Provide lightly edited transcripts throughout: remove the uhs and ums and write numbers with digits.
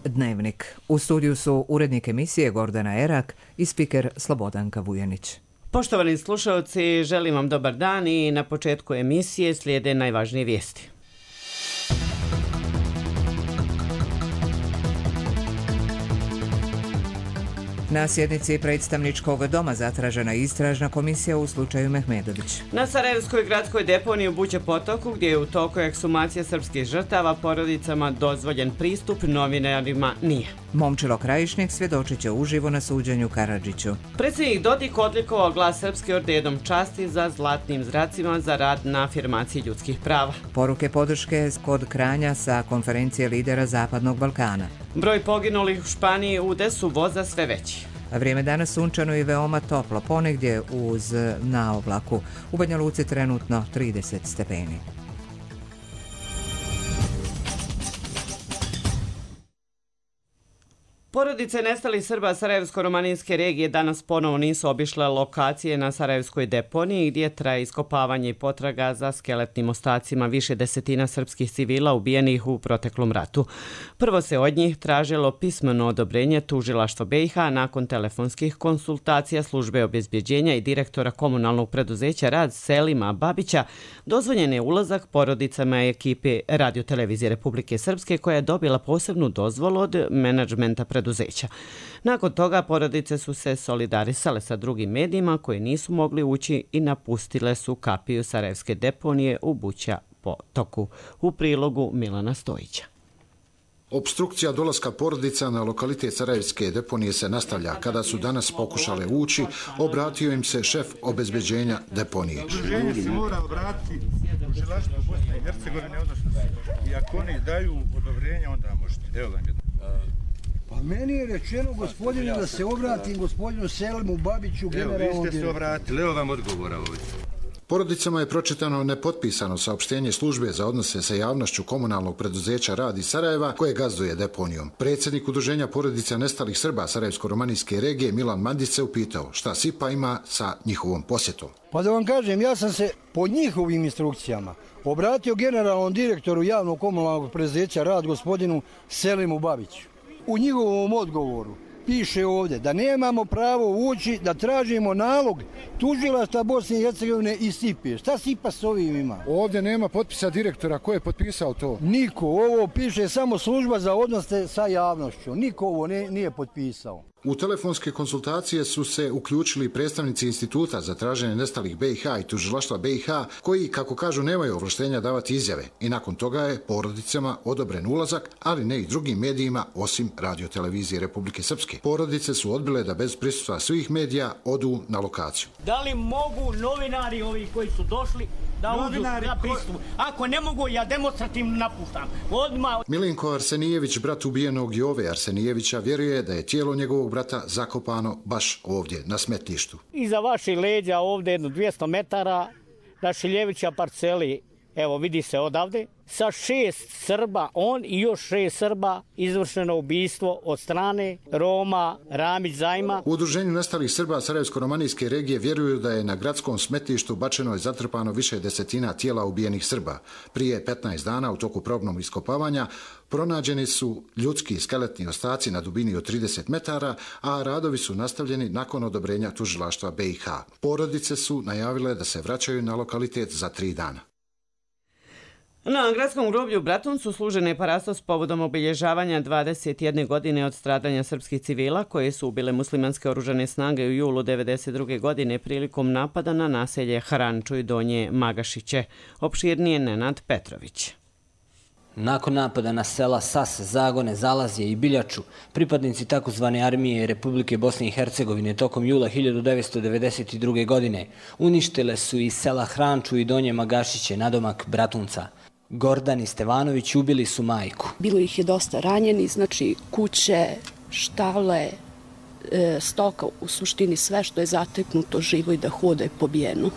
Dnevnik. U studiju su urednik emisije Gordana Erak i spiker Slobodanka Vujanić. Poštovani slušalci, želim vam dobar dan i na početku emisije slijede najvažnije vijesti. Na sjednici predstavničkog doma zatražena istražna komisija u slučaju Mehmedović. Na Sarajevskoj gradskoj deponiji u Buće potoku, gdje je u toku ekshumacija srpskih žrtava, porodicama dozvoljen pristup, novinarima nije. Momčilo Krajišnik svjedočit će uživo na suđenju Karadžiću. Predsjednik Dodik odlikovao Glas Srpske ordenom časti za zlatnim zracima za rad na afirmaciji ljudskih prava. Poruke podrške kod Kranja sa konferencije lidera Zapadnog Balkana. Broj poginulih u Španiji udesu voza sve veći. Vrijeme danas sunčano i veoma toplo, ponegdje uz naoblaku. U Banja Luci trenutno 30 stepeni. Porodice nestalih Srba Sarajevsko-romaninske regije danas ponovo nisu obišle lokacije na Sarajevskoj deponiji gdje traje iskopavanje i potraga za skeletnim ostacima više desetina srpskih civila ubijenih u proteklom ratu. Prvo se od njih tražilo pismeno odobrenje tužilaštva BiH, nakon telefonskih konsultacija službe obezbjeđenja i direktora komunalnog preduzeća Rad Selima Babića dozvoljen je ulazak porodicama ekipe Radio-televizije Republike Srpske, koja je dobila posebnu dozvolu od menadžmenta preduzeća. Nakon toga porodice su se solidarisale sa drugim medijima koji nisu mogli ući i napustile su kapiju Sarajevske deponije u Buća potoku. U prilogu Milana Stojića. Opstrukcija dolaska porodica na lokalitet Sarajevske deponije se nastavlja. Kada su danas pokušale ući, obratio im se šef obezbeđenja deponije. Udruženje se mora obratiti tužilaštvu Bosne i Hercegovine, odnosno i ako oni daju odobrenje, onda možete. Evo vam jedno. Pa meni je rečeno, gospodine, da se obratim gospodinu Selimu Babiću, generalnom direktoru. Evo, vi ste se obratili, evo vam odgovora ovdje. Porodicama je pročitano nepotpisano saopštenje službe za odnose sa javnošću komunalnog preduzeća Rad iz Sarajeva, koje gazduje deponijom. Predsjednik Udruženja porodica nestalih Srba Sarajevsko-romaninske regije Milan Mandić se upitao šta SIPA ima sa njihovom posjetom. Pa da vam kažem, ja sam se po njihovim instrukcijama obratio generalnom direktoru javnog komunalnog preduzeća Rad gospodinu Selimu Babiću. U njihovom odgovoru piše ovdje da nemamo pravo ući, da tražimo nalog tužilaštva Bosne i Hercegovine i SIPA. Šta SIPA s ovim ima? Ovdje nema potpisa direktora. Ko je potpisao to? Niko. Ovo piše samo služba za odnose sa javnošću. Niko ovo nije potpisao. U telefonske konsultacije su se uključili predstavnici Instituta za traženje nestalih BiH i tužilaštva BiH, koji, kako kažu, nemaju ovlaštenja davati izjave. I nakon toga je porodicama odobren ulazak, ali ne i drugim medijima osim Radio-televizije Republike Srpske. Porodice su odbile da bez prisustva svih medija odu na lokaciju. Da li mogu novinari ovi koji su došli da uđu na pristup? Ako ne mogu, ja demonstrativno napuštam. Odmah. Milinko Arsenijević, brat ubijenog Jove Arsenijevića, vjeruje da je tijelo njegovog brata zakopano baš ovdje, na smetlištu. Iza vaših leđa ovdje jedno 200 metara na Šiljevića parceli, evo vidi se odavde, sa 6 Srba, on i još 6 Srba, izvršeno ubistvo od strane Roma Ramić Zajma. U Udruženju nestalih Srba Sarajevsko-romaninske regije vjeruju da je na gradskom smetlištu bačeno i zatrpano više desetina tijela ubijenih Srba. Prije 15 dana u toku probnog iskopavanja pronađeni su ljudski skeletni ostaci na dubini od 30 metara, a radovi su nastavljeni nakon odobrenja tužilaštva BiH. Porodice su najavile da se vraćaju na lokalitet za 3 dana. Na gradskom groblju u Bratuncu služen je parastos povodom obilježavanja 21 godine od stradanja srpskih civila koje su ubile muslimanske oružane snage u julu 1992. godine prilikom napada na naselje Haranču i Donje Magašiće. Opširnije Nenad Petrović. Nakon napada na sela Sas, Zagone, Zalazje i Biljaču, pripadnici takozvane armije Republike Bosne i Hercegovine tokom jula 1992. godine uništile su i sela Hranču i Donje Magašiće, nadomak Bratunca. Gordani Stevanović ubili su majku. Bilo ih je dosta ranjeni, znači kuće, štale, stoka, u suštini sve što je zateknuto živo i da hode pobijeno.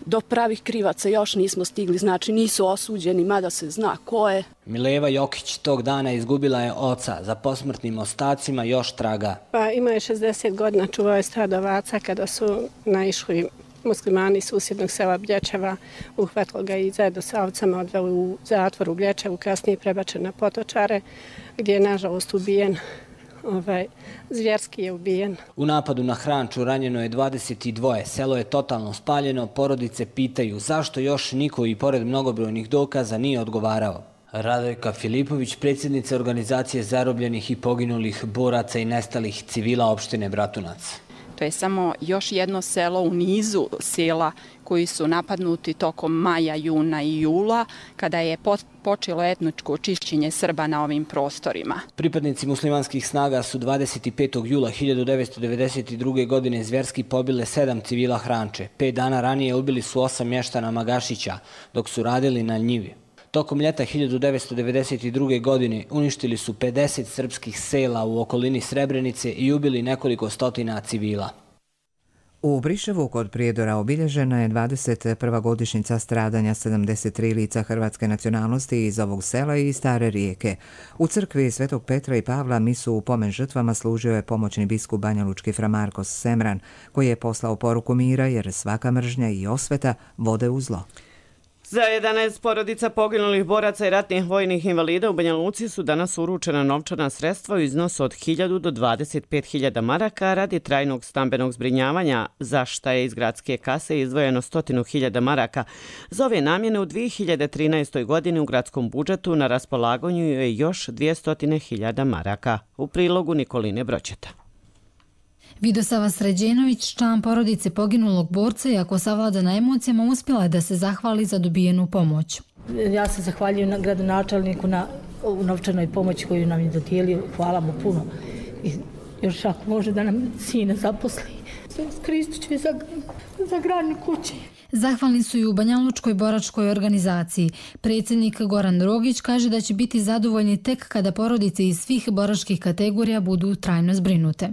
Do pravih krivaca još nismo stigli, znači nisu osuđeni, mada se zna ko je. Mileva Jokić tog dana izgubila je oca, za posmrtnim ostacima još traga. Pa ima je 60 godina, čuvao je stado ovaca kada su naišli muslimani iz susjednog sela Blječeva, uhvatili ga i zajedno sa ovcama odveli u zatvor u Blječevu, kasnije prebačen na Potočare. gdje je nažalost ubijen. Zvjerski je ubijen. U napadu na Hranču ranjeno je 22, selo je totalno spaljeno, porodice pitaju zašto još niko i pored mnogobrojnih dokaza nije odgovarao. Radojka Filipović, predsjednica organizacije zarobljenih i poginulih boraca i nestalih civila opštine Bratunac. To je samo još jedno selo u nizu sela koji su napadnuti tokom maja, juna i jula, kada je počelo etničko očišćenje Srba na ovim prostorima. Pripadnici muslimanskih snaga su 25. jula 1992. godine zvjerski pobile 7 civila Hranče. 5 dana ranije ubili su 8 mještana Magašića, dok su radili na njivi. Tokom ljeta 1992. godine uništili su 50 srpskih sela u okolini Srebrenice i ubili nekoliko stotina civila. U Briševu kod Prijedora obilježena je 21. godišnjica stradanja 73 lica hrvatske nacionalnosti iz ovog sela i Stare Rijeke. U crkvi Svetog Petra i Pavla misu u pomen žrtvama služio je pomoćni biskup banjalučki fra Markos Semran, koji je poslao poruku mira jer svaka mržnja i osveta vode u zlo. Za 11 porodica poginulih boraca i ratnih vojnih invalida u Banja Luci su danas uručena novčana sredstva u iznosu od 1000 do 25.000 maraka radi trajnog stambenog zbrinjavanja, za šta je iz gradske kase izdvojeno 100.000 maraka. Za ove namjene u 2013. godini u gradskom budžetu na raspolaganju je još 200.000 maraka. U prilogu Nikoline Broćeta. Vidosava Sređenović, član porodice poginulog borca, i ako savladana emocijama, uspjela je da se zahvali za dobijenu pomoć. Ja se zahvaljujem gradonačelniku na novčanoj pomoći koju nam je dodijelio. Hvala mu puno. I još ako može da nam sine zaposli. Kristit ću za gradnju kuće. Zahvalni su i u Banjalučkoj boračkoj organizaciji. Predsjednik Goran Drogić kaže da će biti zadovoljni tek kada porodice iz svih boračkih kategorija budu trajno zbrinute.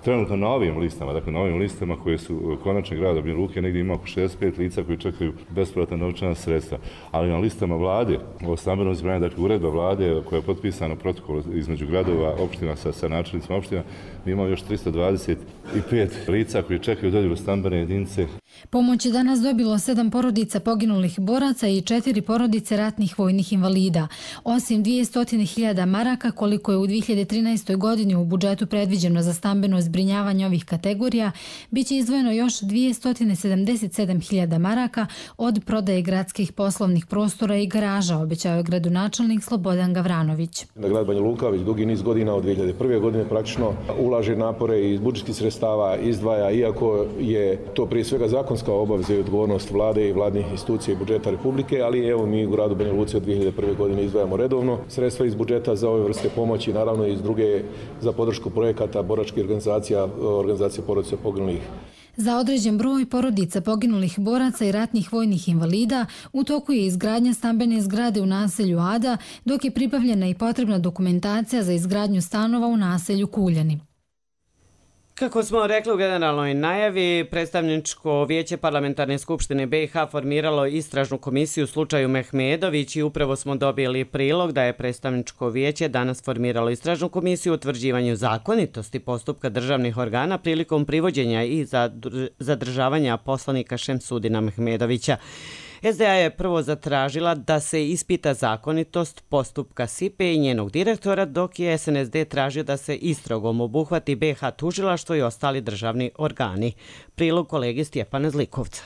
Trenutno na ovim listama, dakle na ovim listama koje su konačne grada Banja Luke, negdje ima oko 65 lica koji čekaju bespovratna novčana sredstva. Ali na listama vlade, o stambenom zbrinjavanju, dakle uredba vlade koja je potpisana protokol između gradova, opština sa načelnicima opština, mi imamo još 325 lica koji čekaju dodjelu stambene jedinice. Pomoć je danas dobilo 7 porodica poginulih boraca i 4 porodice ratnih vojnih invalida. Osim 200.000 maraka, koliko je u 2013. godini u budžetu predviđeno za stambeno zbrinjavanje ovih kategorija, bit će izdvojeno još 277.000 maraka od prodaje gradskih poslovnih prostora i garaža, obećao je gradonačelnik Slobodan Gavranović. Grad Banja Luka već dugi niz godina od 2001. godine praktično ulaže napore iz budžetskih sredstava, izdvaja, iako je to prije svega zakonska obaveza i odgovornost vlade i vladnih institucija i budžeta Republike, ali evo mi u gradu Banja Luci od 2001. godine izdvajamo redovno sredstva iz budžeta za ove vrste pomoći, naravno iz druge za podršku projekata boračkih organizacija porodica poginulih. Za određen broj porodica poginulih boraca i ratnih vojnih invalida u toku je izgradnja stambene zgrade u naselju Ada, dok je pribavljena i potrebna dokumentacija za izgradnju stanova u naselju Kuljani. Kako smo rekli u generalnoj najavi, predstavničko vijeće Parlamentarne skupštine BiH formiralo istražnu komisiju u slučaju Mehmedović i upravo smo dobili prilog da je predstavničko vijeće danas formiralo istražnu komisiju u utvrđivanju zakonitosti postupka državnih organa prilikom privođenja i zadržavanja poslanika Šemsudina Mehmedovića. SDA je prvo zatražila da se ispita zakonitost postupka SIPE i njenog direktora, dok je SNSD tražio da se istragom obuhvati BiH tužilaštvo i ostali državni organi. Prilog kolege Stjepana Zlikovca.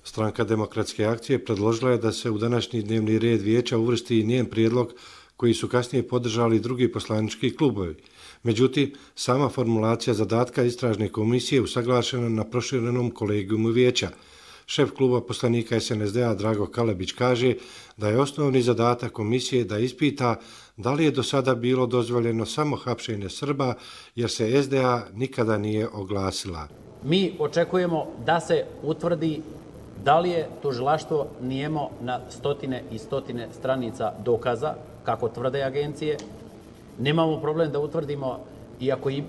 Stranka Demokratske akcije predložila je da se u današnji dnevni red vijeća uvrsti i njen prijedlog koji su kasnije podržali drugi poslanički klubovi. Međutim, sama formulacija zadatka istražne komisije usaglašena na proširenom kolegijumu vijeća. Šef kluba poslanika SNSD-a Drago Kalebić kaže da je osnovni zadatak komisije da ispita da li je do sada bilo dozvoljeno samo hapšenje Srba, jer se SDA nikada nije oglasila. Mi očekujemo da se utvrdi da li je tužilaštvo nijemo na stotine i stotine stranica dokaza, kako tvrde agencije. Nemamo problem da utvrdimo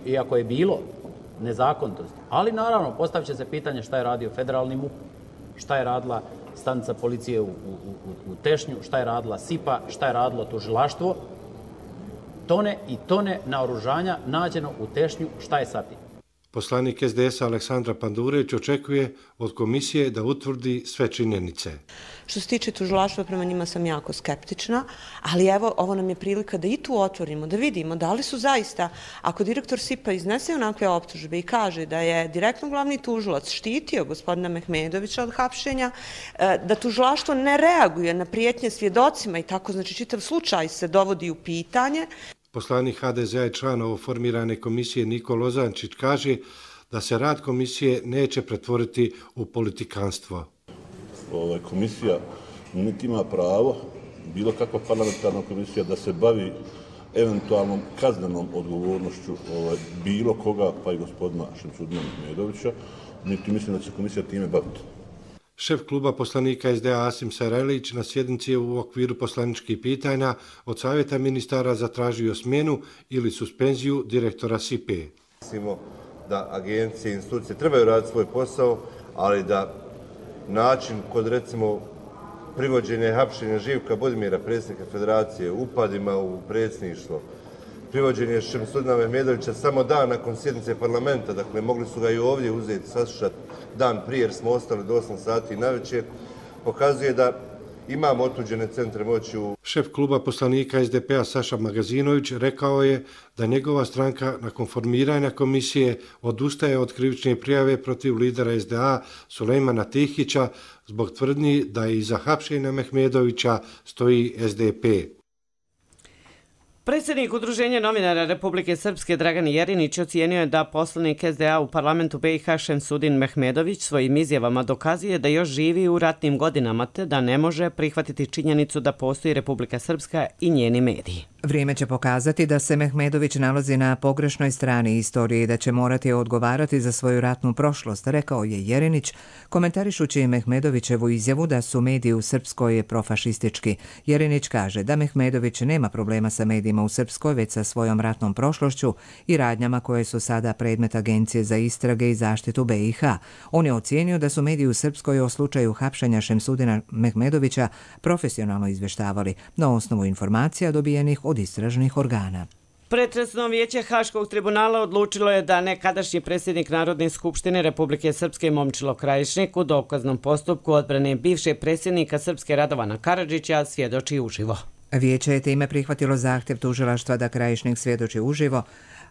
iako je bilo nezakonitosti. Ali naravno, postavit će se pitanje šta je radio federalni MUP, šta je radila stanica policije u Tešnju, šta je radila SIPA, šta je radilo tužilaštvo. Tone i tone naoružanja nađeno u Tešnju, šta je sa tim? Poslanik SDS-a Aleksandra Pandurević očekuje od komisije da utvrdi sve činjenice. Što se tiče tužilaštva, prema njima sam jako skeptična, ali evo, ovo nam je prilika da i tu otvorimo, da vidimo da li su zaista, ako direktor SIP-a iznese onakve optužbe i kaže da je direktno glavni tužilac štitio gospodina Mehmedovića od hapšenja, da tužilaštvo ne reaguje na prijetnje svjedocima i tako, znači čitav slučaj se dovodi u pitanje. Poslanik HDZ-a i član novoformirane komisije Niko Lozančić kaže da se rad komisije neće pretvoriti u politikanstvo. Komisija niti ima pravo, bilo kakva parlamentarna komisija, da se bavi eventualnom kaznenom odgovornošću bilo koga, pa i gospodina Šemsudina Mehmedovića, niti mislim da će komisija time baviti. Šef kluba poslanika SDA Asim Sarajlić na sjednici u okviru poslaničkih pitanja od savjeta ministara zatražio smjenu ili suspenziju direktora SIP-e. Mislimo da agencije i institucije trebaju raditi svoj posao, ali da način kod recimo privođenja i hapšenja Živka Budimira, predsjednika federacije, upadima u predsjedništvo, privođenje Šemsudina Mehmedovića samo dan nakon sjednice parlamenta, dakle mogli su ga i ovdje uzeti, saslušati dan prije jer smo ostali do 8 sati navečer, pokazuje da imamo otuđene centre moći u... Šef kluba poslanika SDP-a Saša Magazinović rekao je da njegova stranka nakon formiranja komisije odustaje od krivične prijave protiv lidera SDA Sulejmana Tihića zbog tvrdnji da iza hapšenja Mehmedovića stoji SDP. Predsjednik Udruženja novinara Republike Srpske Dragan Jerinić ocijenio je da poslanik SDA u parlamentu BiH Šemsudin Mehmedović svojim izjavama dokazuje da još živi u ratnim godinama te da ne može prihvatiti činjenicu da postoji Republika Srpska i njeni mediji. Vrijeme će pokazati da se Mehmedović nalazi na pogrešnoj strani istorije i da će morati odgovarati za svoju ratnu prošlost, rekao je Jerinić, komentarišući Mehmedovićevu izjavu da su mediji u Srpskoj profašistički. Jerinić kaže da Mehmedović nema problema sa medijima u Srpskoj, već sa svojom ratnom prošlošću i radnjama koje su sada predmet Agencije za istrage i zaštitu BiH. On je ocijenio da su mediji u Srpskoj o slučaju hapšenja Šemsudina Mehmedovića profesionalno izveštavali na osnovu informacija dobijenih od istražnih organa. Pretresno vijeće Haškog tribunala odlučilo je da nekadašnji predsjednik Narodne skupštine Republike Srpske Momčilo Krajišnik u dokaznom postupku odbrane bivšeg predsjednika Srpske Radovana Karadžića svjedoči uživo. Vijeće je time prihvatilo zahtjev tužilaštva da Krajišnik svjedoči uživo,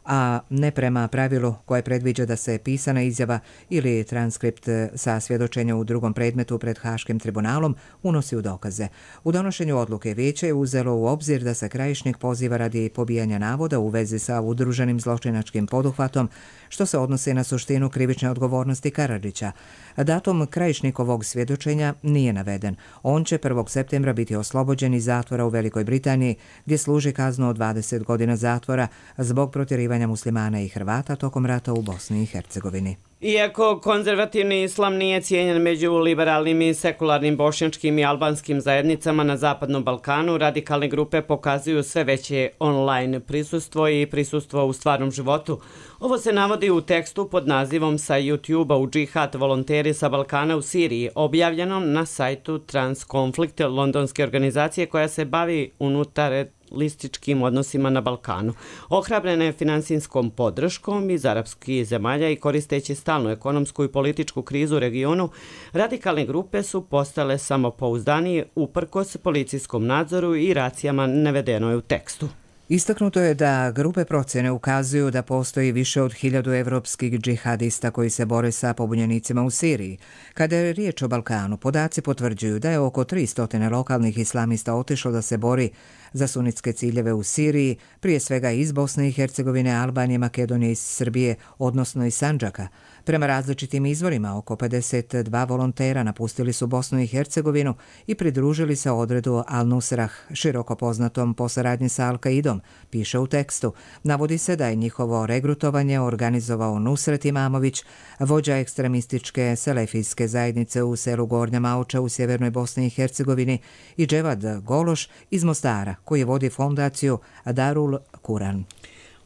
a ne prema pravilu koje predviđa da se pisana izjava ili transkript sa svjedočenja u drugom predmetu pred Haškim tribunalom unosi u dokaze. U donošenju odluke vijeće je uzelo u obzir da se Krajišnik poziva radi pobijanja navoda u vezi sa udruženim zločinačkim poduhvatom, što se odnosi na suštinu krivične odgovornosti Karadžića. Datum Krajišnikovog svjedočenja nije naveden. On će 1. septembra biti oslobođen iz zatvora u Velikoj Britaniji, gdje služi kaznu od 20 godina zatvora zbog protjerivanja muslimana i Hrvata tokom rata u Bosni i Hercegovini. Iako konzervativni islam nije cijenjen među liberalnim i sekularnim bošnjačkim i albanskim zajednicama na Zapadnom Balkanu, radikalne grupe pokazuju sve veće online prisustvo i prisustvo u stvarnom životu. Ovo se navodi u tekstu pod nazivom sa YouTube-a u džihad volonteri sa Balkana u Siriji, objavljenom na sajtu Transkonflikt, londonske organizacije koja se bavi unutarlističkim odnosima na Balkanu. Ohrabrene je finansijskom podrškom iz arapskih zemalja i koristeći stalnu ekonomsku i političku krizu u regionu, radikalne grupe su postale samopouzdanije uprkos policijskom nadzoru i racijama navedeno je u tekstu. Istaknuto je da grupe procjene ukazuju da postoji više od 1000 evropskih džihadista koji se bore sa pobunjenicima u Siriji. Kada je riječ o Balkanu, podaci potvrđuju da je oko 300 lokalnih islamista otišlo da se bori za sunitske ciljeve u Siriji, prije svega iz Bosne i Hercegovine, Albanije, Makedonije i Srbije, odnosno iz Sandžaka. Prema različitim izvorima, oko 52 volontera napustili su Bosnu i Hercegovinu i pridružili se odredu Al-Nusrah, široko poznatom po saradnji sa Al-Qaidom, piše u tekstu. Navodi se da je njihovo regrutovanje organizovao Nusret Imamović, vođa ekstremističke selefijske zajednice u selu Gornja Mauča u sjevernoj Bosni i Hercegovini, i Dževad Gološ iz Mostara, koji vodi fondaciju Darul Kuran.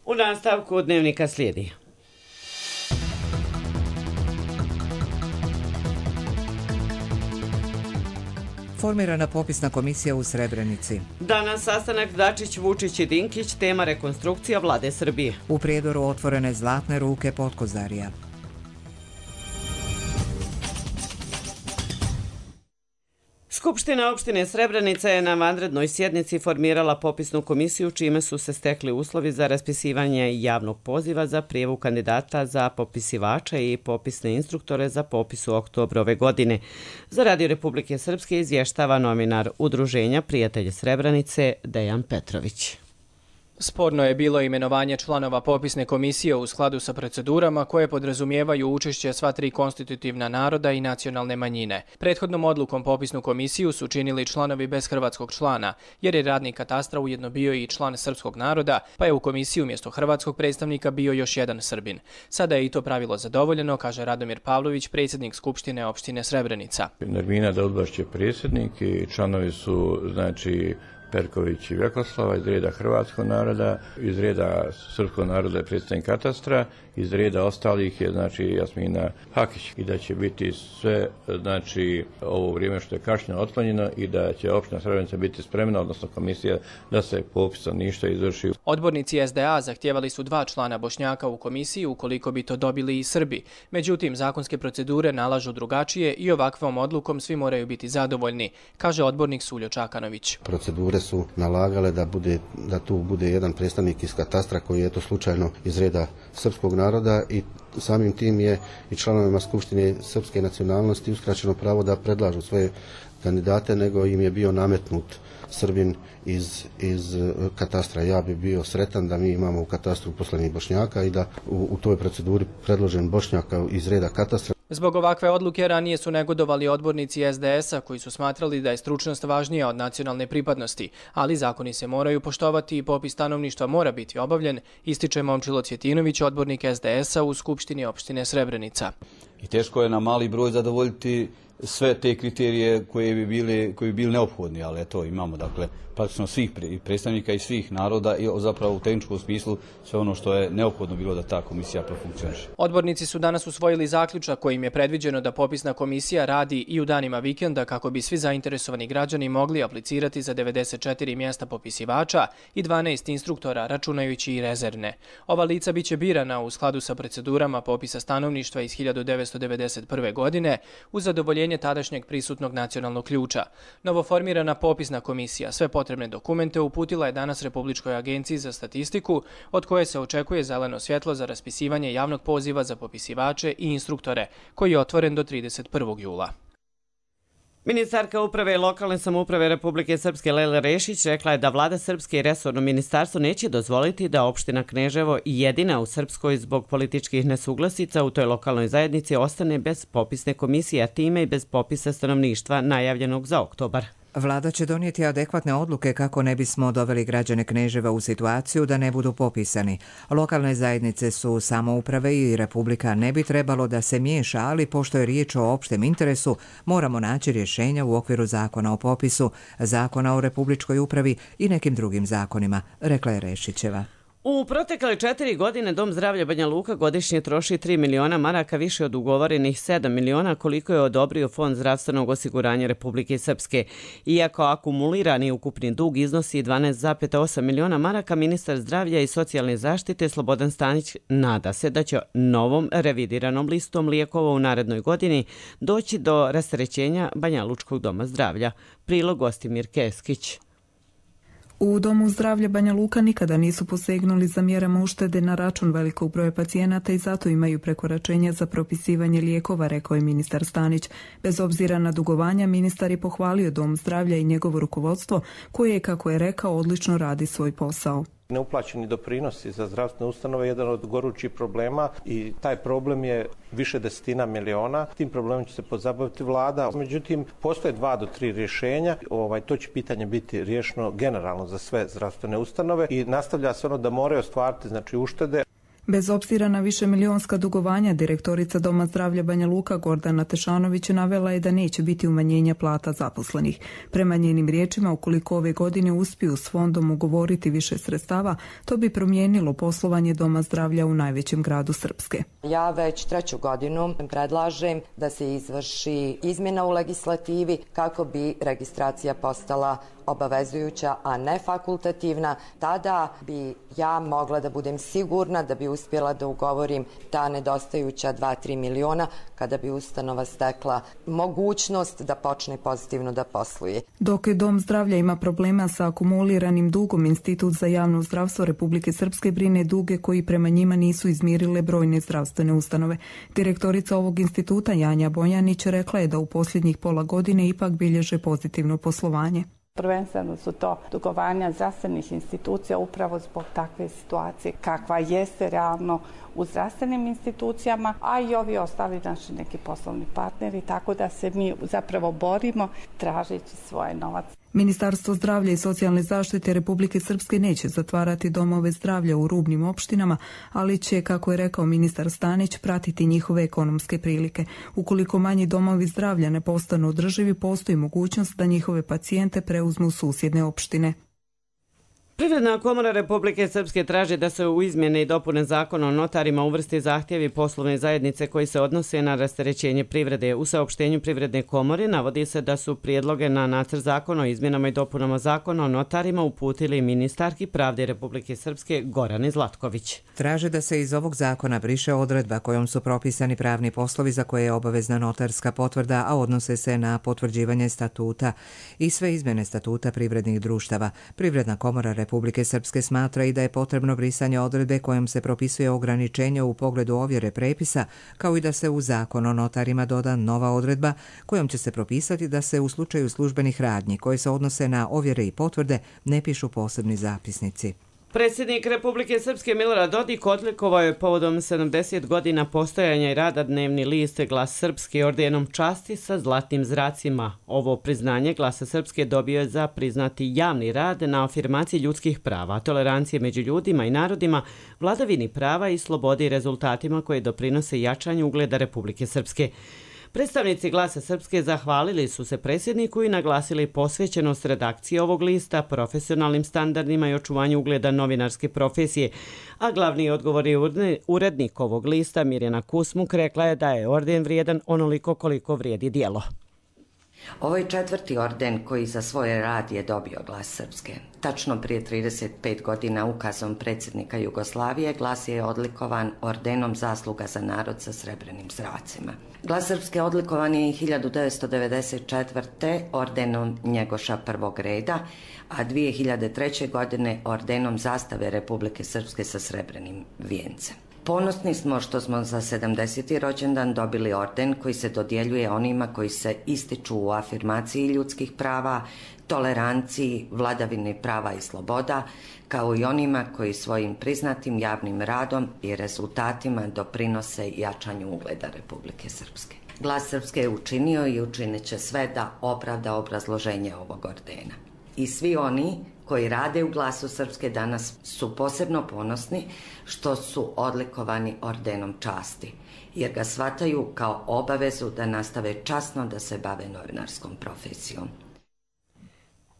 U nastavku dnevnika slijedi. Formirana popisna komisija u Srebrenici. Danas sastanak Dačić, Vučić i Dinkić, tema rekonstrukcija vlade Srbije. U Prijedoru otvorene zlatne ruke Potkozarija. Skupština opštine Srebrenica je na vanrednoj sjednici formirala popisnu komisiju čime su se stekli uslovi za raspisivanje javnog poziva za prijavu kandidata za popisivača i popisne instruktore za popis u oktobru ove godine. Za Radio Republike Srpske izvještava novinar Udruženja Prijatelji Srebrenice Dejan Petrović. Sporno je bilo imenovanje članova popisne komisije u skladu sa procedurama koje podrazumijevaju učešće sva tri konstitutivna naroda i nacionalne manjine. Prethodnom odlukom popisnu komisiju su činili članovi bez hrvatskog člana, jer je radnik katastra ujedno bio i član srpskog naroda, pa je u komisiji umjesto hrvatskog predstavnika bio još jedan Srbin. Sada je i to pravilo zadovoljeno, kaže Radomir Pavlović, predsjednik Skupštine opštine Srebrenica. Nermina Daudbaš je predsjednik i članovi su, Perković i Vjekoslava iz reda hrvatskog naroda, iz reda srpskog naroda je predstavnik katastra, iz reda ostalih je Jasmina Hakić i da će biti sve ovo vrijeme što je kašnjeno otklonjeno i da će opština Srebrenica biti spremna, odnosno komisija, da se popis stanovništva izvrši. Odbornici SDA zahtijevali su 2 člana Bošnjaka u komisiji ukoliko bi to dobili i Srbi. Međutim, zakonske procedure nalažu drugačije i ovakvom odlukom svi moraju biti zadovoljni, kaže odbornik Suljo Čakanović. Procedure su nalagale da tu bude jedan predstavnik iz katastra koji je to slučajno iz reda srpskog naroda i samim tim je i članovima Skupštine srpske nacionalnosti uskraćeno pravo da predlažu svoje kandidate, nego im je bio nametnut Srbin iz katastra. Ja bi bio sretan da mi imamo u katastru uposlenih Bošnjaka i da u toj proceduri predložen Bošnjaka iz reda katastra. Zbog ovakve odluke ranije su negodovali odbornici SDS-a koji su smatrali da je stručnost važnija od nacionalne pripadnosti, ali zakoni se moraju poštovati i popis stanovništva mora biti obavljen, ističe Momčilo Cvjetinović, odbornik SDS-a u Skupštini opštine Srebrenica. I teško je na mali broj zadovoljiti sve te kriterije koji bi bili neophodni, ali eto imamo praktično svih predstavnika i svih naroda i zapravo u tehničkom smislu sve ono što je neophodno bilo da ta komisija profunkcioniše. Odbornici su danas usvojili zaključak kojim je predviđeno da popisna komisija radi i u danima vikenda kako bi svi zainteresovani građani mogli aplicirati za 94 mjesta popisivača i 12 instruktora, računajući i rezervne. Ova lica biće birana u skladu sa procedurama popisa stanovništva iz 1991. godine uz zadovoljenje tadašnjeg prisutnog nacionalnog ključa. Novoformirana popisna komisija sve potrebne dokumente uputila je danas Republičkoj agenciji za statistiku, od koje se očekuje zeleno svjetlo za raspisivanje javnog poziva za popisivače i instruktore, koji je otvoren do 31. jula. Ministarka uprave i lokalne samouprave Republike Srpske Lejla Rešić rekla je da vlada Srpske i resorno ministarstvo neće dozvoliti da opština Kneževo, jedina u Srpskoj zbog političkih nesuglasica u toj lokalnoj zajednici, ostane bez popisne komisije, a time i bez popisa stanovništva najavljenog za oktobar. Vlada će donijeti adekvatne odluke kako ne bismo doveli građane Kneževa u situaciju da ne budu popisani. Lokalne zajednice su samouprave i Republika ne bi trebalo da se miješa, ali pošto je riječ o opštem interesu, moramo naći rješenja u okviru zakona o popisu, zakona o Republičkoj upravi i nekim drugim zakonima, rekla je Rešićeva. U protekle 4 godine Dom zdravlja Banja Luka godišnje troši 3 miliona maraka više od ugovorenih 7 miliona koliko je odobrio Fond zdravstvenog osiguranja Republike Srpske. Iako akumulirani ukupni dug iznosi 12,8 miliona maraka, ministar zdravlja i socijalne zaštite Slobodan Stanić nada se da će novom revidiranom listom lijekova u narednoj godini doći do rasterećenja Banja Lučkog doma zdravlja. Prilog Gostimir Keskić. U Domu zdravlja Banja Luka nikada nisu posegnuli za mjerama uštede na račun velikog broja pacijenata i zato imaju prekoračenja za propisivanje lijekova, rekao je ministar Stanić. Bez obzira na dugovanja, ministar je pohvalio Dom zdravlja i njegovo rukovodstvo koje, kako je rekao, odlično radi svoj posao. Neuplaćeni doprinosi za zdravstvene ustanove je jedan od gorućih problema i taj problem je više desetina miliona. Tim problemom će se pozabaviti vlada. Međutim, postoje 2 do 3 rješenja. To će pitanje biti riješeno generalno za sve zdravstvene ustanove i nastavlja se ono da moraju ostvariti uštede. Bez obzira na višemilijonska dugovanja, direktorica Doma zdravlja Banja Luka Gordana Tešanović navela je da neće biti umanjenja plata zaposlenih. Prema njenim riječima, ukoliko ove godine uspiju s fondom ugovoriti više sredstava, to bi promijenilo poslovanje Doma zdravlja u najvećem gradu Srpske. Ja već 3. godinu predlažem da se izvrši izmjena u legislativi kako bi registracija postala obavezujuća, a ne fakultativna. Tada bi ja mogla da budem sigurna da bi uspjela da ugovorim ta nedostajuća 2-3 miliona kada bi ustanova stekla mogućnost da počne pozitivno da posluje. Dok je Dom zdravlja ima problema sa akumuliranim dugom, Institut za javno zdravstvo Republike Srpske brine duge koji prema njima nisu izmirile brojne zdravstvene ustanove. Direktorica ovog instituta Janja Bojanić rekla je da u posljednjih pola godine ipak bilježe pozitivno poslovanje. Prvenstveno su to dugovanja zdravstvenih institucija upravo zbog takve situacije kakva jeste realno u zdravstvenim institucijama, a i ovi ostali naši neki poslovni partneri, tako da se mi zapravo borimo tražeći svoje novac. Ministarstvo zdravlja i socijalne zaštite Republike Srpske neće zatvarati domove zdravlja u rubnim opštinama, ali će, kako je rekao ministar Stanić, pratiti njihove ekonomske prilike. Ukoliko manji domovi zdravlja ne postanu održivi, postoji mogućnost da njihove pacijente preuzmu susjedne opštine. Privredna komora Republike Srpske traži da se u izmjene i dopune zakona o notarima uvrsti zahtjevi poslovne zajednice koji se odnose na rasterećenje privrede. U saopštenju Privredne komore navodi se da su prijedloge na nacrt zakona o izmjenama i dopunama zakona o notarima uputili ministarki pravde Republike Srpske Gorane Zlatković. Traže da se iz ovog zakona briše odredba kojom su propisani pravni poslovi za koje je obavezna notarska potvrda, a odnose se na potvrđivanje statuta i sve izmjene statuta privrednih društava. Privredna komora Republike Srpske smatra i da je potrebno brisanje odredbe kojom se propisuje ograničenje u pogledu ovjere prepisa, kao i da se u zakon o notarima doda nova odredba kojom će se propisati da se u slučaju službenih radnji koje se odnose na ovjere i potvrde ne pišu posebni zapisnici. Predsjednik Republike Srpske Milorad Dodik odlikovao je povodom 70 godina postojanja i rada dnevni list Glas Srpske ordenom časti sa zlatnim zracima. Ovo priznanje Glasa Srpske dobio je za priznati javni rad na afirmaciji ljudskih prava, tolerancije među ljudima i narodima, vladavini prava i slobodi i rezultatima koje doprinose jačanju ugleda Republike Srpske. Predstavnici Glasa Srpske zahvalili su se predsjedniku i naglasili posvećenost redakcije ovog lista profesionalnim standardima i očuvanju ugleda novinarske profesije, a glavni odgovorni urednik ovog lista Mirjana Kusmuk rekla je da je orden vrijedan onoliko koliko vrijedi djelo. Ovo je 4. orden koji za svoj rad je dobio Glas Srpske. Tačno prije 35 godina ukazom predsjednika Jugoslavije Glas je odlikovan ordenom Zasluga za narod sa srebrenim zracima. Glas Srpske odlikovan je 1994. ordenom Njegoša prvog reda, a 2003. godine ordenom Zastave Republike Srpske sa srebrenim vijencem. Ponosni smo što smo za 70. rođendan dobili orden koji se dodjeljuje onima koji se ističu u afirmaciji ljudskih prava, toleranciji, vladavini prava i sloboda, kao i onima koji svojim priznatim javnim radom i rezultatima doprinose jačanju ugleda Republike Srpske. Glas Srpske je učinio i učinit će sve da opravda obrazloženje ovog ordena. I svi oni koji rade u Glasu Srpske danas su posebno ponosni što su odlikovani ordenom časti, jer ga shvataju kao obavezu da nastave časno da se bave novinarskom profesijom.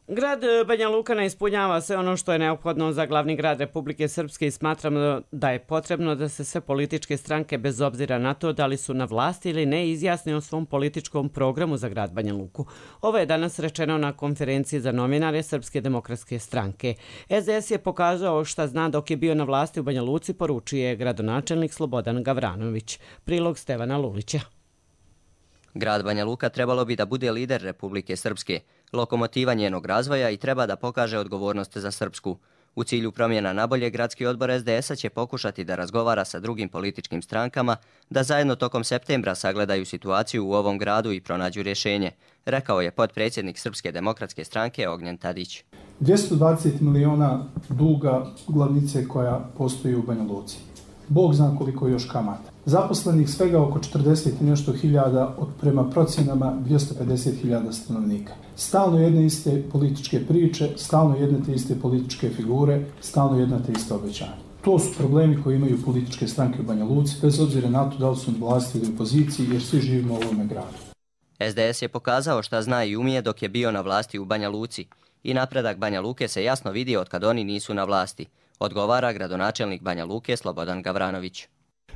Grad Banja Luka ne ispunjava sve ono što je neophodno za glavni grad Republike Srpske i smatramo da je potrebno da se sve političke stranke, bez obzira na to da li su na vlasti ili ne, izjasne o svom političkom programu za grad Banja Luku. Ovo je danas rečeno na konferenciji za novinare Srpske demokratske stranke. SDS je pokazao šta zna dok je bio na vlasti u Banja Luci, poručuje gradonačelnik Slobodan Gavranović. Prilog Stevana Lulića. Grad Banja Luka trebalo bi da bude lider Republike Srpske, lokomotiva njenog razvoja i treba da pokaže odgovornost za Srpsku. U cilju promjena nabolje, gradski odbor SDS-a će pokušati da razgovara sa drugim političkim strankama, da zajedno tokom septembra sagledaju situaciju u ovom gradu i pronađu rješenje, rekao je potpredsjednik Srpske demokratske stranke Ognjen Tadić. 220 miliona duga glavnice koja postoji u Banja Luci. Bog zna koliko još kamata. Zaposlenih svega oko 40 i nešto hiljada od prema procjenama 250 hiljada stanovnika. Stalno jedne iste političke priče, stalno jedne te iste političke figure, stalno jedna te iste obećanja. To su problemi koji imaju političke stranke u Banja Luci, bez obzira na to da li su na vlasti ili opoziciji, jer svi živimo u ovome gradu. SDS je pokazao šta zna i umije dok je bio na vlasti u Banja Luci i napredak Banja Luke se jasno vidi od kad oni nisu na vlasti, odgovara gradonačelnik Banja Luke Slobodan Gavranović.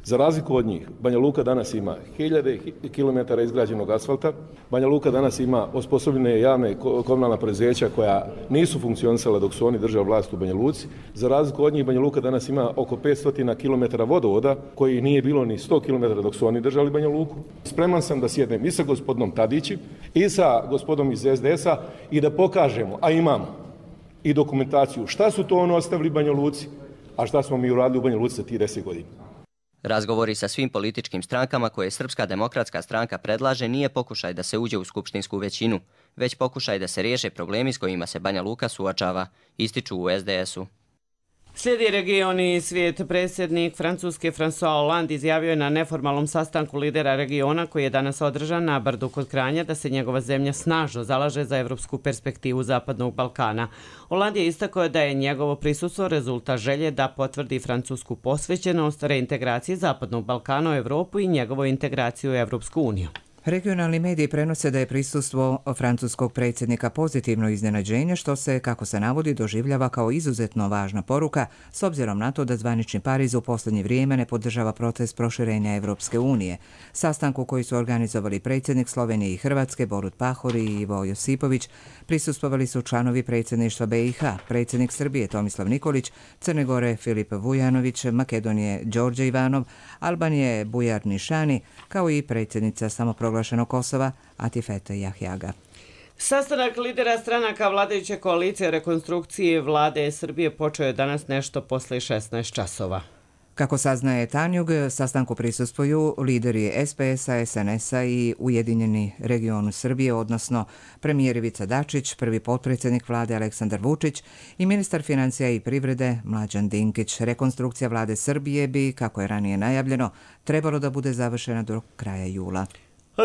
Za razliku od njih, Banja Luka danas ima 1000 kilometara izgrađenog asfalta, Banja Luka danas ima osposobljene javne komunalna preduzeća koja nisu funkcionisala dok su oni držali vlast u Banja Luci. Za razliku od njih, Banja Luka danas ima oko 500 kilometara vodovoda koji nije bilo ni 100 kilometara dok su oni držali Banja Luku. Spreman sam da sjednem i sa gospodinom Tadićem i sa gospodom iz SDS-a i da pokažemo, a imamo i dokumentaciju, šta su to ono ostavili Banja Luci, a šta smo mi uradili u Banja Luci za tih 10 godina. Razgovori sa svim političkim strankama koje Srpska demokratska stranka predlaže nije pokušaj da se uđe u skupštinsku većinu, već pokušaj da se riješe problemi s kojima se Banja Luka suočava, ističu u SDS-u. Slijedi region i svijet. Predsjednik Francuske François Hollande izjavio je na neformalnom sastanku lidera regiona koji je danas održan na Brdu kod Kranja da se njegova zemlja snažno zalaže za evropsku perspektivu Zapadnog Balkana. Hollande je istakao da je njegovo prisustvo rezultat želje da potvrdi francusku posvećenost reintegraciji Zapadnog Balkana u Evropu i njegovu integraciju u Evropsku uniju. Regionalni mediji prenose da je prisustvo francuskog predsjednika pozitivno iznenađenje, što se, kako se navodi, doživljava kao izuzetno važna poruka, s obzirom na to da zvanični Pariz u posljednje vrijeme ne podržava proces proširenja Evropske unije. Sastanku koji su organizovali predsjednik Slovenije i Hrvatske, Borut Pahor i Ivo Josipović, prisustvovali su članovi predsjedništva BiH, predsjednik Srbije Tomislav Nikolić, Crne Gore Filip Vujanović, Makedonije Đorđe Ivanov, Albanije Bujar Nišani, kao i predsjednica samoproglašenog Kosova Atifete Jahjaga. Sastanak lidera stranaka vladajuće koalicije o rekonstrukciji vlade Srbije počeo je danas nešto posle 16 časova. Kako saznaje Tanjug, sastanku prisustvuju lideri SPS-a, SNS-a i Ujedinjeni regionu Srbije, odnosno premijer Ivica Dačić, prvi potpredsjednik vlade Aleksandar Vučić i ministar financija i privrede Mlađan Dinkić. Rekonstrukcija vlade Srbije bi, kako je ranije najavljeno, trebalo da bude završena do kraja jula.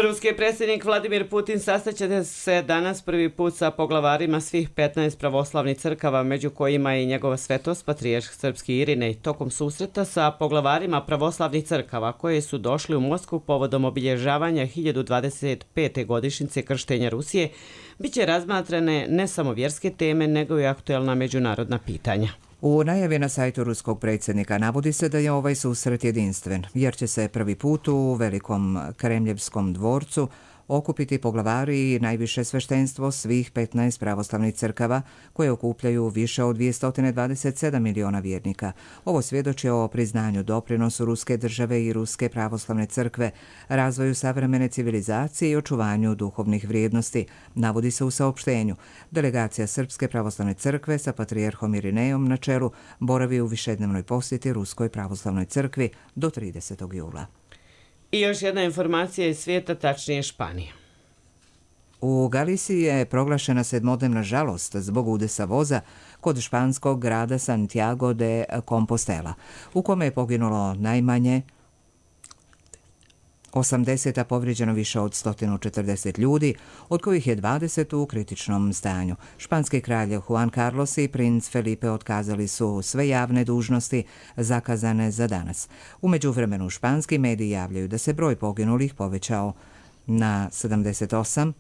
Ruski predsjednik Vladimir Putin sastaće se danas prvi put sa poglavarima svih 15 pravoslavnih crkava, među kojima je i njegova svetost patrijarh srpski Irinej. Tokom susreta sa poglavarima pravoslavnih crkava koje su došli u Moskvu povodom obilježavanja 1025. godišnjice krštenja Rusije, biće razmatrane ne samo vjerske teme, nego i aktuelna međunarodna pitanja. U najavi na sajtu ruskog predsjednika navodi se da je ovaj susret jedinstven, jer će se prvi put u Velikom Kremljevskom dvorcu okupiti poglavari i najviše sveštenstvo svih 15 pravoslavnih crkava koje okupljaju više od 227 miliona vjernika. Ovo svjedoči o priznanju doprinosu ruske države i ruske pravoslavne crkve, razvoju savremene civilizacije i očuvanju duhovnih vrijednosti, navodi se u saopštenju. Delegacija Srpske pravoslavne crkve sa patrijarhom Irinejom na čelu boravi u višednevnoj posjeti Ruskoj pravoslavnoj crkvi do 30. jula. I još jedna informacija iz svijeta, tačnije Španije. U Galiciji je proglašena sedmodnevna žalost zbog udesa voza kod španskog grada Santiago de Compostela, u kome je poginulo najmanje 80, a povrijeđeno više od 140 ljudi, od kojih je 20 u kritičnom stanju. Španski kralj Juan Carlos i princ Felipe otkazali su sve javne dužnosti zakazane za danas. U međuvremenu španski mediji javljaju da se broj poginulih povećao na 78,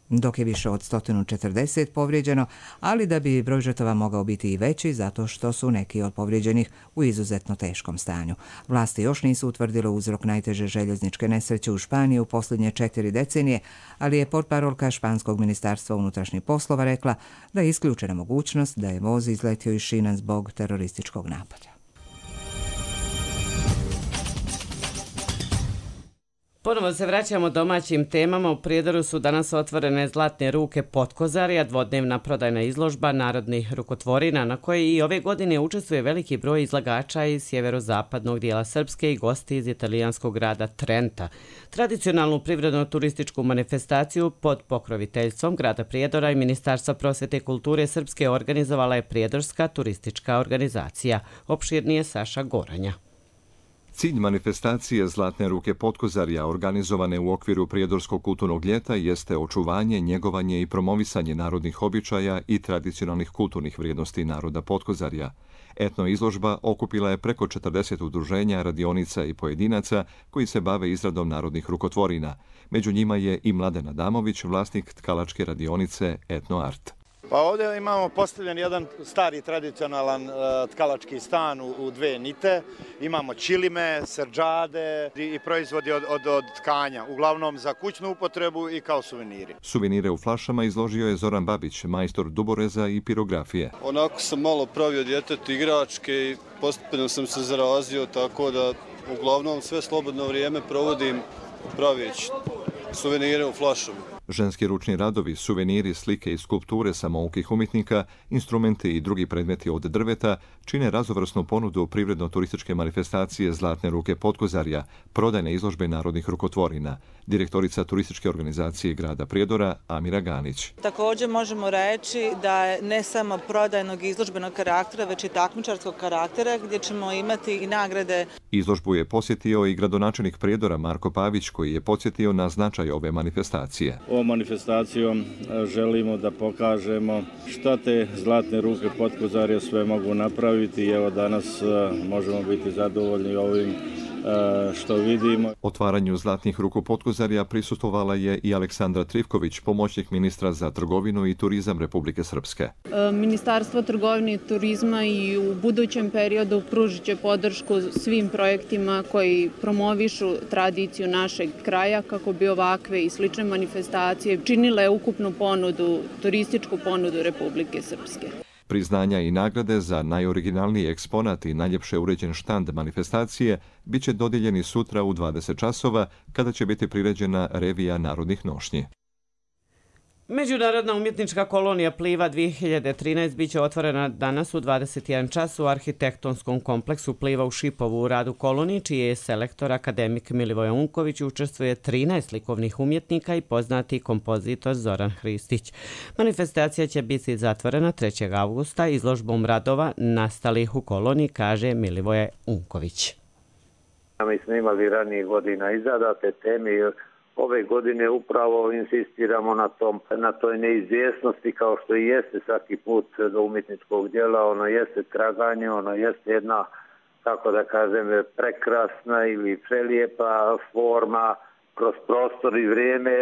dok je više od 140 povrijeđeno, ali da bi broj žrtava mogao biti i veći zato što su neki od povrijeđenih u izuzetno teškom stanju. Vlasti još nisu utvrdile uzrok najteže željezničke nesreće u Španiji u posljednje 4 decenije, ali je portparolka Španskog ministarstva unutrašnjih poslova rekla da je isključena mogućnost da je voz izletio iz šina zbog terorističkog napada. Ponovo se vraćamo domaćim temama. U Prijedoru su danas otvorene Zlatne ruke Potkozarja, dvodnevna prodajna izložba narodnih rukotvorina na kojoj i ove godine učestvuje veliki broj izlagača iz sjeverozapadnog dijela Srpske i gosti iz italijanskog grada Trenta. Tradicionalnu privredno-turističku manifestaciju pod pokroviteljstvom grada Prijedora i Ministarstva prosvjete i kulture Srpske organizovala je Prijedorska turistička organizacija. Opširnije Saša Goranja. Cilj manifestacije Zlatne ruke Potkozarja organizovane u okviru Prijedorskog kulturnog ljeta jeste očuvanje, njegovanje i promovisanje narodnih običaja i tradicionalnih kulturnih vrijednosti naroda Potkozarja. Etno izložba okupila je preko 40 udruženja, radionica i pojedinaca koji se bave izradom narodnih rukotvorina. Među njima je i Mladen Adamović, vlasnik tkalačke radionice Etno Art. Pa ovdje imamo postavljen jedan stari tradicionalan tkalački stan u dve nite. Imamo čilime, srdžade i proizvodi od tkanja, uglavnom za kućnu upotrebu i kao suveniri. Suvenire u flašama izložio je Zoran Babić, majstor duboreza i pirografije. Onako sam malo pravio djetetu igračke i postupno sam se zarazio, tako da uglavnom sve slobodno vrijeme provodim pravići suvenire u flašama. Ženski ručni radovi, suveniri, slike i skulpture samoukih umjetnika, instrumenti i drugi predmeti od drveta čine raznovrsnu ponudu privredno-turističke manifestacije Zlatne ruke Potkozarja, prodajne izložbe narodnih rukotvorina. Direktorica turističke organizacije grada Prijedora Amira Ganić. Također možemo reći da je ne samo prodajnog izložbenog karaktera, već i takmičarskog karaktera gdje ćemo imati i nagrade. Izložbu je posjetio i gradonačelnik Prijedora Marko Pavić koji je podsjetio na značaj ove manifestacije. Ovom manifestacijom želimo da pokažemo šta te Zlatne ruke Potkozarja sve mogu napraviti i evo danas možemo biti zadovoljni ovim što vidimo. Otvaranju Zlatnih ruku Potkozarja prisustvovala je i Aleksandra Trivković, pomoćnik ministra za trgovinu i turizam Republike Srpske. Ministarstvo trgovine i turizma i u budućem periodu pružit će podršku svim projektima koji promovišu tradiciju našeg kraja kako bi ovakve i slične manifestacije činile ukupnu ponudu, turističku ponudu Republike Srpske. Priznanja i nagrade za najoriginalniji eksponat i najljepše uređen štand manifestacije bit će dodijeljeni sutra u 20 časova kada će biti priređena revija narodnih nošnji. Međunarodna umjetnička kolonija Pliva 2013 bit će otvorena danas u 21 čas u arhitektonskom kompleksu Pliva u Šipovu u radu koloniji, čiji je selektor akademik Milivoje Unković, učestvuje 13 likovnih umjetnika i poznati kompozitor Zoran Hristić. Manifestacija će biti zatvorena 3. avgusta izložbom radova nastalih u koloniji, kaže Milivoje Unković. Mi smo imali ranije godina izradate teme. Ove godine upravo insistiramo na toj neizvjesnosti kao što i jeste svaki put do umjetničkog djela. Ono jeste traganje, ono jeste jedna, kako da kažem, prekrasna ili prelijepa forma kroz prostor i vrijeme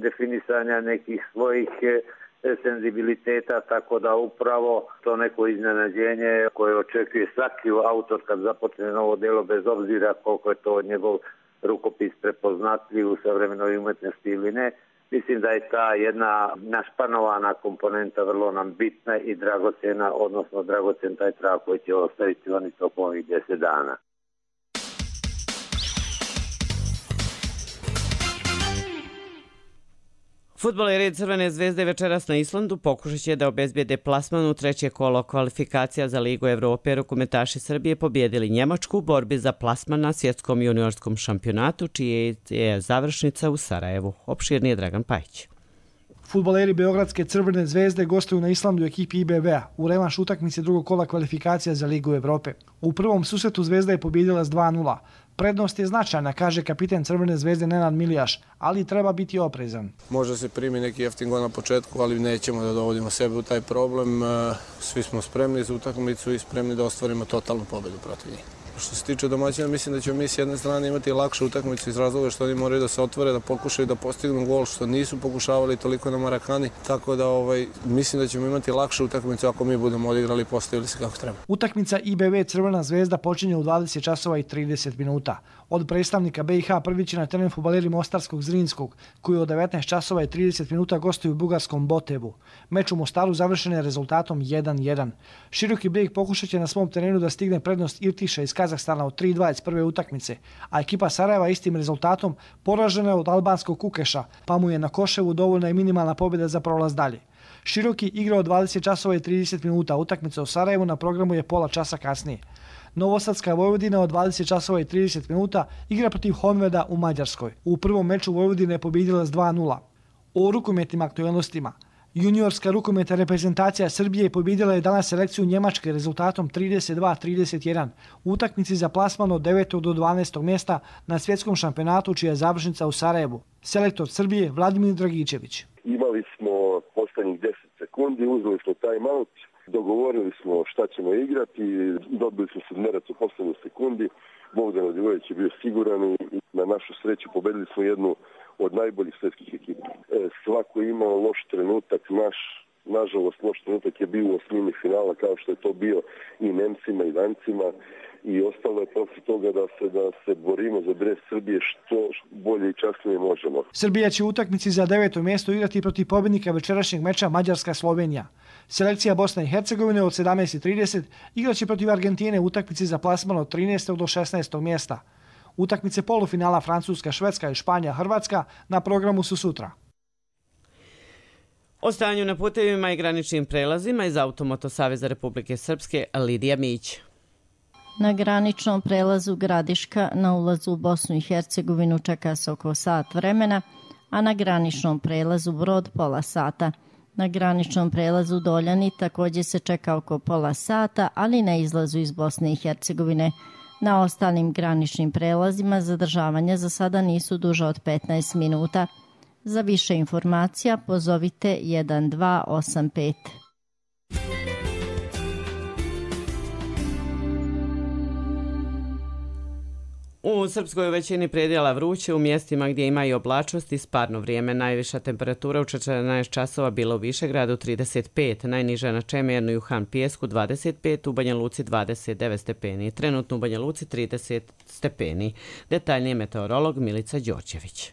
definisanja nekih svojih senzibiliteta, tako da upravo to neko iznenađenje koje očekuje svaki autor kad započne novo djelo, bez obzira koliko je to njegov rukopis prepoznatljiv u savremenoj umjetnosti ili ne. Mislim da je ta jedna našpanovana komponenta vrlo nam bitna i dragocjena, odnosno dragocjen taj trag koji će ostaviti oni tokom ovih 10 dana. Fudbaleri Crvene zvezde večeras na Islandu pokušat će da obezbijede plasman u treće kolo kvalifikacija za Ligu Evrope. Rukometaši Srbije pobjedili Njemačku u borbi za plasman na svjetskom juniorskom šampionatu, čije je završnica u Sarajevu. Opširni je Dragan Pajić. Fudbaleri Beogradske Crvene zvezde gostuju na Islandu u ekipi IBV-a u revanš utakmice drugog kola kvalifikacija za Ligu Evrope. U prvom susretu Zvezda je pobjedila s 2:0. Prednost je značajna, kaže kapiten Crvene zvezde Nenad Milijaš, ali treba biti oprezan. Možda se primi neki jeftin gol na početku, ali nećemo da dovodimo sebe u taj problem. Svi smo spremni za utakmicu i spremni da ostvarimo totalnu pobedu protiv njih. Što se tiče domaćina, mislim da ćemo mi s jedne strane imati lakšu utakmicu iz razloga što oni moraju da se otvore, da pokušaju da postignu gol, što nisu pokušavali toliko na Marakani, tako da mislim da ćemo imati lakšu utakmicu ako mi budemo odigrali i postavili se kako treba. Utakmica IBV Crvena zvezda počinje u 20 časova i 30 minuta. Od predstavnika BiH prvi će na teren fudbaleri Mostarskog Zrinskog, koji od 19 časova i 30 minuta gostuju u bugarskom Botevu. Meč u Mostaru završen je rezultatom 1:1. Široki Brijeg pokušat će na svom terenu da stigne prednost Irtiša iz Kazahstana od 3:2 iz prve utakmice, a ekipa Sarajeva istim rezultatom poražena je od albanskog Kukeša, pa mu je na Koševu dovoljna i minimalna pobjeda za prolaz dalje. Široki igra od 20 časova i 30 minuta, utakmica u Sarajevu na programu je pola časa kasnije. Novosadska Vojvodina od 20 časova i 30 minuta igra protiv Honveda u Mađarskoj. U prvom meču Vojvodina je pobjedila s 2:0. O rukometnim aktualnostima. Juniorska rukometna reprezentacija Srbije pobjedila je danas selekciju Njemačke rezultatom 32-31 u utakmici za plasman od 9. do 12. mjesta na svjetskom šampionatu čija je završnica u Sarajevu. Selektor Srbije Vladimir Dragičević. Imali smo posljednjih 10 sekundi, uzeli smo timeout, dogovorili smo šta ćemo igrati, dobili smo sedmerac u posljednjoj sekundi. Bogdan Radivojević je bio siguran i na našu sreću pobedili smo jednu od najboljih svjetskih ekipa. Svako je imao loš trenutak, nažalost loš trenutak je bio u osmini finala kao što je to bio i Nemcima i Dancima i ostalo je posle toga da se borimo za dres Srbije što bolje i časnije možemo. Srbija će u utakmici za 9. mjesto igrati protiv pobjednika večerašnjeg meča Mađarska-Slovenija. Selekcija Bosne i Hercegovine od 17:30 igraće protiv Argentine u utakmici za plasman od 13. do 16. mjesta. Utakmice polufinala Francuska, Švedska i Španija, Hrvatska na programu su sutra. O stanju na putevima i graničnim prelazima iz Automoto Saveza Republike Srpske Lidija Mić. Na graničnom prelazu Gradiška na ulazu u Bosnu i Hercegovinu čeka se oko sat vremena, a na graničnom prelazu Brod pola sata. Na graničnom prelazu Doljani također se čeka oko pola sata, ali na izlazu iz Bosne i Hercegovine. Na ostalim graničnim prelazima zadržavanja za sada nisu duže od 15 minuta. Za više informacija pozovite 1285. U Srpskoj većini predjela vruće, u mjestima gdje ima i oblačnost i sparno vrijeme. Najviša temperatura u 14 časova bila u Višegradu 35, najniža na Čemernu i u Han Pijesku 25, u Banja Luci 29 stepeni, trenutno u Banja Luci 30 stepeni. Detaljnije meteorolog Milica Đorđević.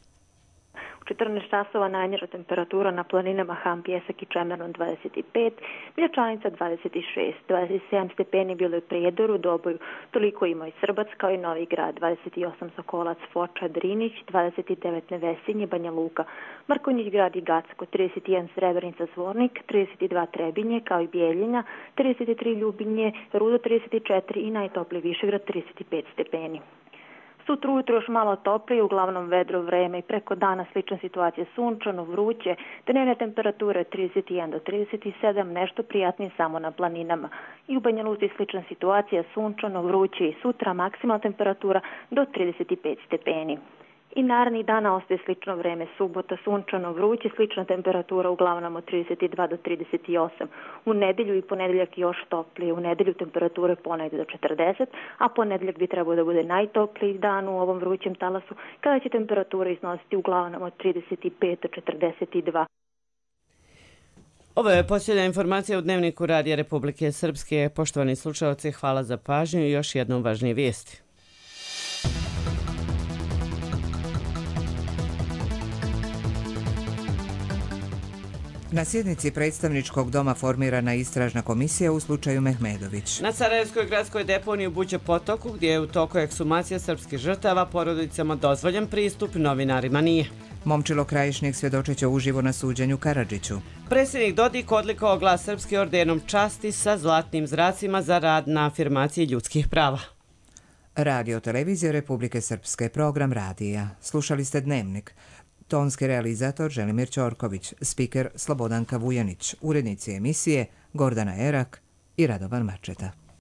U 14 časova najniža temperatura na planinama Han Pijesak i Čemernon 25, Miljačanica 26, 27 stepeni bilo je u Prijedoru, Doboju, toliko ima i Srbac kao i Novi Grad, 28 Sokolac, Foča, Drinić, 29 Nevesinje, Banja Luka, Markonjić grad i Gacko, 31 Srebrenica, Zvornik, 32 Trebinje kao i Bijeljina, 33 Ljubinje, Rudo 34 i najtopliji Višegrad 35 stepeni. Sutra ujutro još malo toplije, uglavnom vedro vreme i preko dana slična situacija, sunčano, vruće, dnevne temperature 31 do 37, nešto prijatnije samo na planinama. I u Banja Luci slična situacija, sunčano, vruće i sutra maksimalna temperatura do 35 stepeni. I narednih dana ostaje slično vreme, subota, sunčano, vruće, slična temperatura uglavnom od 32 do 38. U nedjelju i ponedeljak još toplije, u nedjelju temperature ponegdje do 40, a ponedeljak bi trebao da bude najtopliji dan u ovom vrućem talasu, kada će temperatura iznositi uglavnom od 35 do 42. Ovo je posljednja informacija u Dnevniku Radija Republike Srpske. Poštovani slušalci, hvala za pažnju i još jednom važnije vijesti. Na sjednici predstavničkog doma formirana istražna komisija u slučaju Mehmedović. Na Sarajevskoj gradskoj deponiji u Buđe potoku, gdje je u toku ekshumacija srpskih žrtava, porodicama dozvoljen pristup, novinarima nije. Momčilo Krajišnik svjedočeće uživo na suđenju Karadžiću. Predsjednik Dodik odlikovao Glas Srpske ordenom časti sa zlatnim zracima za rad na afirmaciji ljudskih prava. Radio Televizija Republike Srpske, program radija. Slušali ste Dnevnik. Tonski realizator Želimir Ćorković, spiker Slobodanka Vujanić, urednici emisije Gordana Erak i Radovan Mačeta.